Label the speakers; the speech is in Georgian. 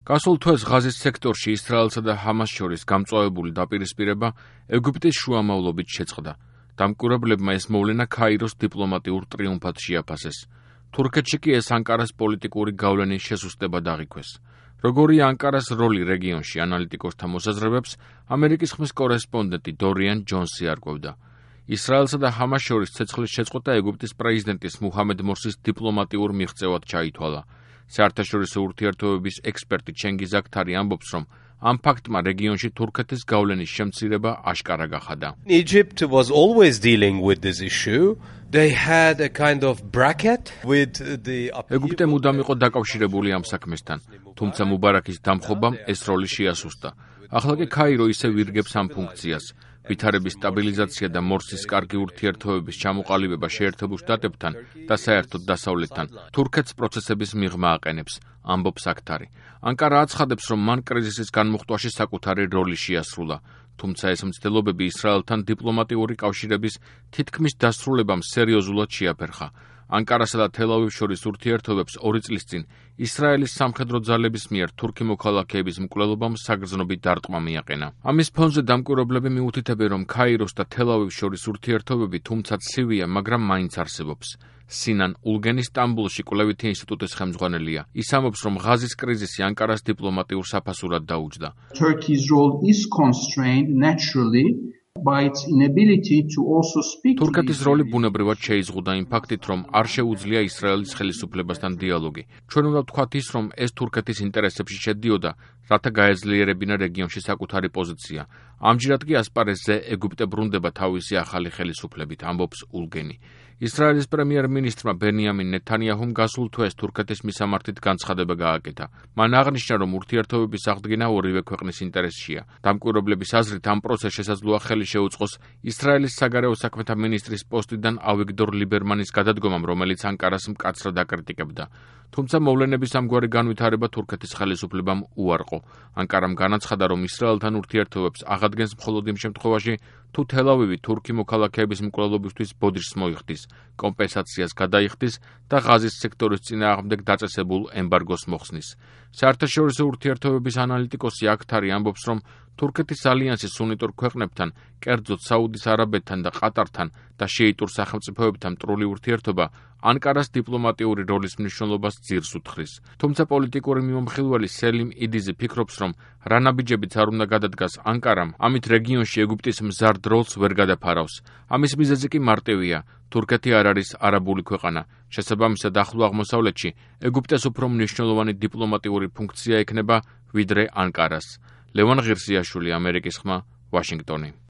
Speaker 1: გასულ თვეს ღაზის სექტორში ისრაელსა და ჰამას შორის გამწვავებული დაპირისპირება ეგვიპტის შუამავლობით შეწყდა. დამკვირვებლებმა ეს მოვლენა ქაიროს დიპლომატიურ ტრიუმფად შეაფასეს. თურქეთში კი ეს ანკარას პოლიტიკური გავლენის შესუსტებად აღიქვეს. როგორია ანკარას როლი რეგიონში, ანალიტიკოსთა მოსაზრებებს ამერიკის ხმის კორესპონდენტი დორიან ჯონსი არკვევდა. ისრაელსა და ჰამას შორის ცეცხლის შეწყვეტა ეგვიპტის პრეზიდენტის მუჰამედ მორსის დიპლომატიურ მიღწევად ჩაითვალა. საერთაშორისო ურთიერთობების ექსპერტი ჩენგიზ აქთარი ამბობს, რომ ამ ფაქტმა რეგიონში თურქეთის გავლენის შემცირება აშკარა გახადა.
Speaker 2: Egypt was always dealing with this issue. They had a kind of bracket with the
Speaker 1: ეგვიპტე მუდამ იყო დაკავშირებული ამ საქმესთან, თუმცა მუბარაკის დამხობამ ეს როლი შეასუსტა. ახლა კი ქაირო ისევ ირგებს ამ ფუნქციას. ვითარების სტაბილიზაცია და მორსის კარგი ურთიერთობების ჩამოყალიბება შეერთებულ შტატებთან და საერთოდ დასავლეთთან თურქეთს პროცესების მიღმა აყენებს, ამბობს აქთარი. ანკარა აცხადებს, რომ მან კრიზისის განმუხტვაში საკუთარი როლი შეასრულა, თუმცა ეს მცდელობები ისრაელთან დიპლომატიური კავშირების თითქმის დასრულებამ სერიოზულად შეაფერხა. ანკარასა და თელ-ავივს შორის ურთიერთობებს 2 წლის წინ ისრაელის სამხედრო ძალების მიერ თურქი მოქალაქეების მკვლელობამ საგრძნობი დარტყმა მიაყენა. ამის ფონზე დამკვირვებლები მიუთითებენ, რომ ქაიროს და თელ-ავივს შორის ურთიერთობები თუმცა ცივია, მაგრამ მაინც არსებობს. სინან ულგენი სტამბოლში კვლევითი ინსტიტუტის ხელმძღვანელია. ის ამბობს, რომ ღაზის კრიზისი ანკარას დიპლომატიურ საფასურად დაუჯდა.
Speaker 3: Turkey's role is constrained naturally by its inability to also speak.
Speaker 1: თურქეთის როლი ბუნებრივად შეიზღუდა იმ ფაქტით, რომ არ შეუძლია ისრაელის ხელისუფლებასთან დიალოგი. ჩვენ უნდა ვთქვათ ის, რომ ეს თურქეთის ინტერესებში შედიოდა, რათა გაეძლიერებინა რეგიონში საკუთარი პოზიცია. ამჯერად კი ასპარეზზე ეგვიპტე ბრუნდება თავისი ახალი ხელისუფლებით, ამბობს ულგენი. ისრაელის პრემიერ-მინისტრმა ბენიამინ ნეთანიაჰუმ გასულ თვეს თურქეთის მისამართით განცხადება გააკეთა. მან აღნიშნა, რომ ურთიერთობების აღდგენა ორივე ქვეყნის ინტერესშია. დამკვირვებლების აზრით, ამ პროცესს შესაძლოა ხელი შეუწყოს ისრაელის საგარეო საქმეთა მინისტრის პოსტიდან ავიგდორ ლიბერმანის გადადგომამ, რომელიც ანკარას მკაცრად აკრიტიკებდა. თუმცა მოვლენების ამგვარი განვითარება თურქეთის ხელისუფლებამ უარყო. ანკარამ განაცხადა, რომ ისრაელთან ურთიერთობებს აღადგენს მხოლოდ იმ შემთხვევაში, თუ თელ-ავივი თურქი მოქალაქეების მკვლელობისთვის ბოდიშს მოიხდის, კომპენსაციას გადაიხდის და ღაზის სექტორის წინააღმდეგ დაწესებულ ემბარგოს მოხსნის. საერთაშორისო ურთიერთობების ანალიტიკოსი აქთარი ამბობს, რომ თურქეთის ალიანსი სუნიტურ ქვეყნებთან, კერძოდ საუდის არაბეთთან და ყატართან და შეიტურ სახელმწიფოებთან მტრული ურთიერთობა ანკარას დიპლომატიური როლის მნიშვნელობას ძირს უთხრის. თუმცა პოლიტიკური მიმომხილველი სელიმ იდიზი ფიქრობს, რომ რა ნაბიჯებიც არ უნდა გადადგას ანკარამ, ამით რეგიონში ეგვიპტის მზარდ როლს ვერ გადაფარავს. ამის მიზეზი კი მარტივია. თურქეთი არ არის არაბული ქვეყანა. შესაბამისად, ახლო აღმოსავლეთში ეგვიპტეს უფრო მნიშვნელოვანი დიპლომატიური ფუნქცია ექნება, ვიდრე ანკარას. ლევან ღირსიაშვილი, ამერიკის ხმა, ვაშინგტონი.